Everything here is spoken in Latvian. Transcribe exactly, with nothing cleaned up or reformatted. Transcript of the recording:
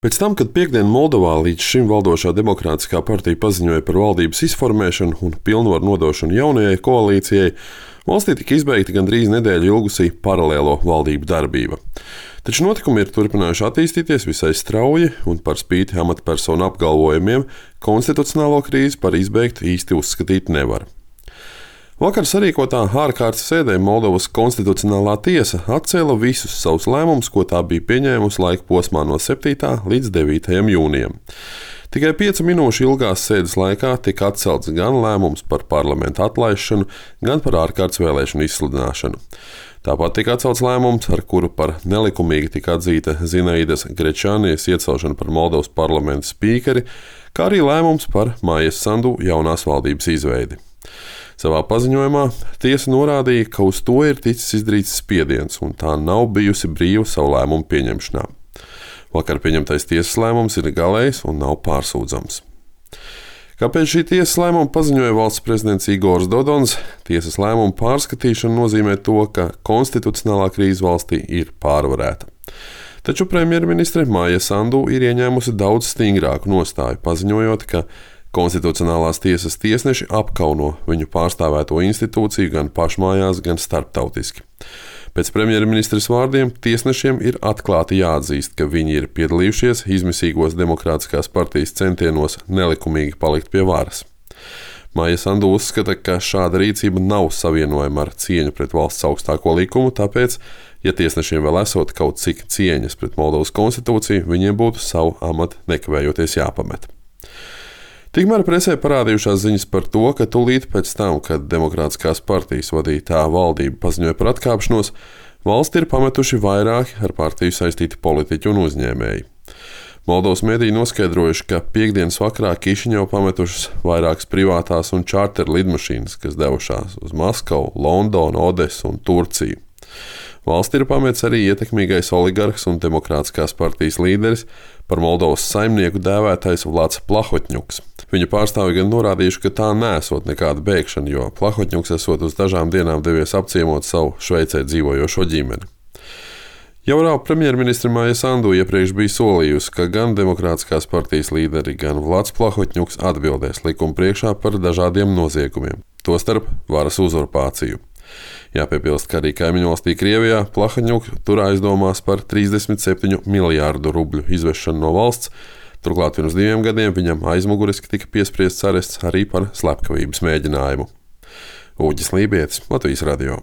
Pēc tam, kad piektdien Moldovā līdz šim valdošā demokrātiskā partija paziņoja par valdības izformēšanu un pilnvaru nodošanu jaunajai koalīcijai, valstī tika izbeigta gandrīz nedēļu ilgusī paralēlo valdību darbība. Taču notikumi ir turpinājuši attīstīties visai strauji, un par spīti amatpersonu apgalvojumiem konstitucionālo krīzi par izbeigtu īsti uzskatīt nevar. Vakar sarīkotā ārkārtas sēdē Moldovas konstitucionālā tiesa atcēla visus savus lēmumus, ko tā bija pieņēmusi laika posmā no septītā līdz devītajam jūnijam. Tikai piecu minūšu ilgās sēdes laikā tika atcelts gan lēmums par parlamenta atlaišanu, gan par ārkārtas vēlēšanu izsludināšanu. Tāpat tika atcelts lēmums, ar kuru par nelikumīgi tika atzīta Zinaidas Grečānijas iecelšana par Moldovas parlamenta spīkeri, kā arī lēmums par Maijas Sandu jaunās valdības izveidi. Savā paziņojumā tiesa norādīja, ka uz to ir ticis izdarīts spiediens, un tā nav bijusi brīva savu lēmumu pieņemšanā. Vakar pieņemtais tiesas lēmums ir galējs un nav pārsūdzams. Kāpēc šī tiesas lēmuma paziņoja valsts prezidents Igors Dodons, tiesas lēmuma pārskatīšana nozīmē to, ka konstitucionālā krīze valstī ir pārvarēta. Taču premjerministre Maija Sandu ir ieņēmusi daudz stingrāku nostāju, paziņojot, ka Konstitucionālās tiesas tiesneši apkauno viņu pārstāvēto institūciju gan pašmājās, gan starptautiski. Pēc premjerministres vārdiem tiesnešiem ir atklāti jāatzīst, ka viņi ir piedalījušies izmisīgos demokrātiskās partijas centienos nelikumīgi palikt pie varas. Maija Sandu uzskata, ka šāda rīcība nav savienojama ar cieņu pret valsts augstāko likumu, tāpēc, ja tiesnešiem vēl esot kaut cik cieņas pret Moldovas konstitūciju, viņiem būtu savu amatu nekavējoties jāpamet. Tikmēr presē parādījušās ziņas par to, ka tūlīt pēc tam, kad demokrātiskās partijas vadītā valdība paziņoja par atkāpšanos, valsti ir pametuši vairāki ar partiju saistīti politiķi un uzņēmēji. Moldovas mediji noskaidrojuši, ka piektdienas vakarā Kišiņevu pametušas vairākas privātās un čārteru lidmašīnas, kas devušās uz Maskavu, Londonu, Odesu un Turciju. Valsti ir pametis arī ietekmīgais oligarhs un demokrātiskās partijas līderis, par Moldovas saimnieku dēvētais Vlads Plahotņuks. Viņa pārstāvi gan norādījuši, ka tā nesot nekāda bēgšana, jo Plahotņuks esot uz dažām dienām devies apciemot savu Šveicē dzīvojošo ģimeni. Jaunā premjerministre Maija Sandu iepriekš bija solījusi, ka gan demokrātiskās partijas līderi, gan Vlads Plahotņuks atbildēs likuma priekšā par dažādiem noziegumiem, tostarp varas uzurpāciju. Jāpiebilst, ka arī kaimiņvalstī Krievijā Plahotņuks tur aizdomās par trīsdesmit septiņu miljārdu rubļu izvešanu no valsts, turklāt pirms diviem gadiem viņam aizmuguriski tika piespriests arests arī par slepkavības mēģinājumu. Uģis Lībietis, Latvijas radio.